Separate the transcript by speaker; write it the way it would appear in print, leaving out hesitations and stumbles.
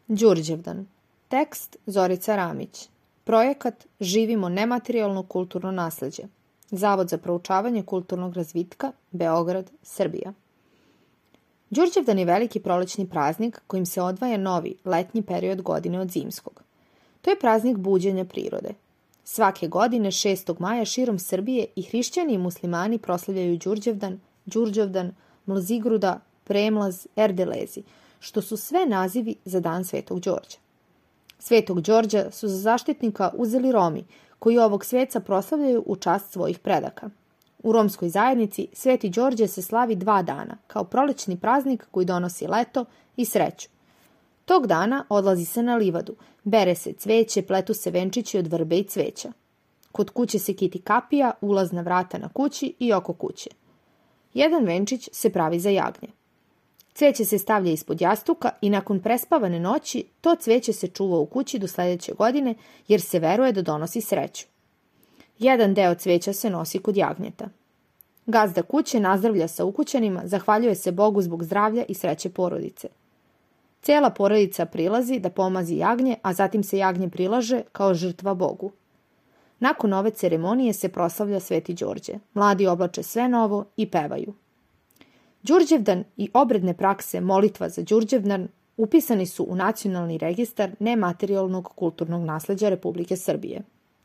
Speaker 1: Đurđevdan. Tekst Zorica Ramić. Projekat Živimo nematerijalno kulturno nasleđe. Zavod za proučavanje kulturnog razvitka, Beograd, Srbija. Đurđevdan je veliki prolećni praznik kojim se odvaja novi, letnji period godine od zimskog. To je praznik buđenja prirode. Svake godine 6. maja širom Srbije i hrišćani i muslimani proslavljaju Đurđevdan, Mlazigruda, Premlaz, Erdelezi, što su sve nazivi za dan Svetog Đorđa. Svetog Đorđa su za zaštitnika uzeli Romi, koji ovog sveca proslavljaju u čast svojih predaka. U romskoj zajednici Sveti Đorđe se slavi 2 dana, kao prolećni praznik koji donosi leto i sreću. Tog dana odlazi se na livadu, bere se cveće, pletu se venčići od vrbe i cveća. Kod kuće se kiti kapija, ulazna vrata na kući i oko kuće. Jedan venčić se pravi za jagnje. Cveće se stavlja ispod jastuka i nakon prespavane noći to cveće se čuva u kući do sledeće godine jer se veruje da donosi sreću. Jedan deo cveća se nosi kod jagnjeta. Gazda kuće nazdravlja sa ukućanima, zahvaljuje se Bogu zbog zdravlja i sreće porodice. Cijela porodica prilazi da pomazi jagnje, a zatim se jagnje prilaže kao žrtva Bogu. Nakon ove ceremonije se proslavlja Sveti Đorđe. Mladi oblače sve novo i pevaju. Đurđevdan i obredne prakse molitva za Đurđevdan upisani su u Nacionalni registar nematerijalnog kulturnog nasleđa Republike Srbije.